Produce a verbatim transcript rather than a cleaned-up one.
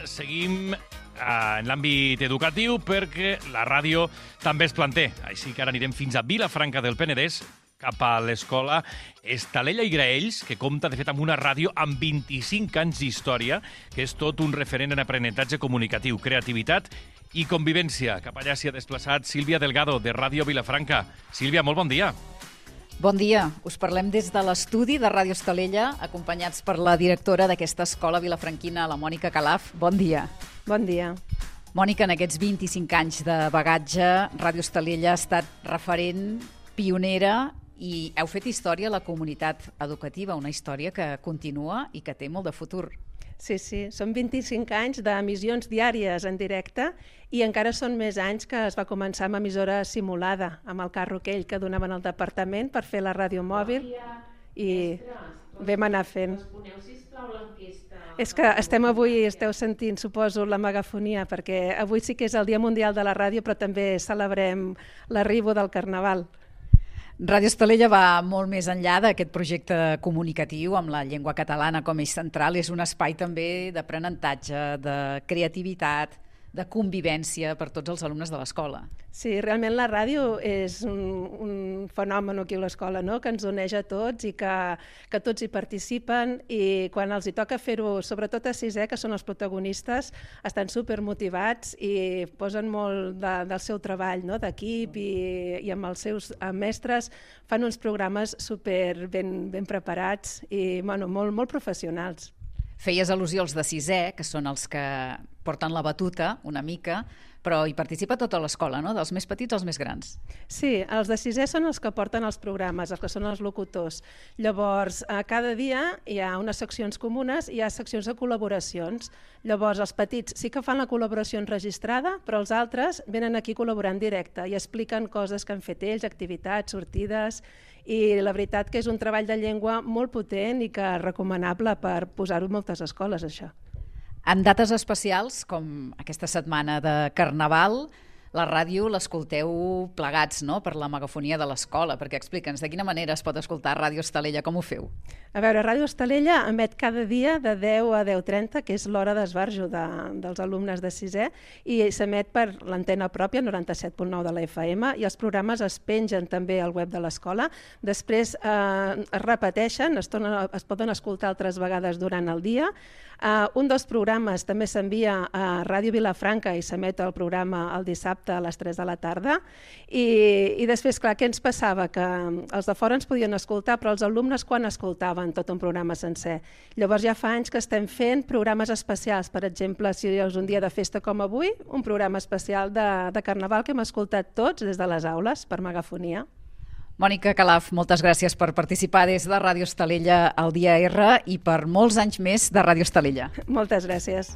seguim eh, en l'àmbit educatiu perquè la ràdio també es planté. Així que ara anirem fins a Vilafranca del Penedès, cap a l'escola Estalella i Graells, que compta, de fet, amb una ràdio amb vint-i-cinc anys d'història, que és tot un referent en aprenentatge comunicatiu, creativitat i convivència. Cap allà s'hi ha desplaçat Sílvia Delgado, de Ràdio Vilafranca. Sílvia, molt bon dia. Bon dia. Us parlem des de l'estudi de Ràdio Estalella, acompanyats per la directora d'aquesta escola vilafranquina, la Mònica Calaf. Bon dia. Bon dia. Mònica, en aquests vint-i-cinc anys de bagatge, Ràdio Estalella ha estat referent, pionera, i heu fet història a la comunitat educativa, una història que continua i que té molt de futur. Sí, sí, són vint-i-cinc anys d'emissions diàries en directe i encara són més anys que es va començar amb emissora simulada, amb el carro aquell que donaven al departament per fer la ràdio mòbil i vam anar fent. És que estem avui, esteu sentint, suposo, la megafonia, perquè avui sí que és el Dia Mundial de la Ràdio, però també celebrem l'arribo del Carnaval. Ràdio Estalella va molt més enllà d'aquest projecte comunicatiu amb la llengua catalana com a eix central. És un espai també d'aprenentatge, de creativitat, de convivència per tots els alumnes de l'escola. Sí, realment la ràdio és un, un fenomen aquí a l'escola, no? Que ens uneix a tots i que, que tots hi participen, i quan els hi toca fer-ho, sobretot a sisè, que són els protagonistes, estan supermotivats i posen molt de, del seu treball, no? D'equip, i, i amb els seus mestres fan uns programes super ben, ben preparats i bueno, molt, molt professionals. Feies al·lusió als de sisè, que són els que porten la batuta una mica, però hi participa tota l'escola, no? Dels més petits als més grans. Sí, els de sisè són els que porten els programes, els que són els locutors. Llavors, cada dia hi ha unes seccions comunes i hi ha seccions de col·laboracions. Llavors, els petits sí que fan la col·laboració enregistrada, però els altres venen aquí a col·laborar en directe i expliquen coses que han fet ells, activitats, sortides, i la veritat que és un treball de llengua molt potent i que és recomanable per posar-ho en moltes escoles, això. En dates especials, com aquesta setmana de Carnaval, la ràdio l'escolteu plegats, no?, per la megafonia de l'escola, perquè explica'ns de quina manera es pot escoltar Ràdio Estalella, com ho feu? A veure, Ràdio Estalella emet cada dia de deu a deu trenta, que és l'hora d'esbarjo de, dels alumnes de sisè, i s'emet per l'antena pròpia, noranta-set punt nou de la F M, i els programes es pengen també al web de l'escola. Després eh, es repeteixen, es, tornen, es poden escoltar altres vegades durant el dia. Uh, un dels programes també s'envia a Ràdio Vilafranca i s'emet el programa el dissabte a les tres de la tarda. I, i després, clar, què ens passava? Que els de fora ens podien escoltar, però els alumnes quan escoltaven tot un programa sencer? Llavors ja fa anys que estem fent programes especials. Per exemple, si és un dia de festa com avui, un programa especial de, de Carnaval que hem escoltat tots des de les aules per megafonia. Mònica Calaf, moltes gràcies per participar des de Ràdio Estalella al Dia R i per molts anys més de Ràdio Estalella. Moltes gràcies.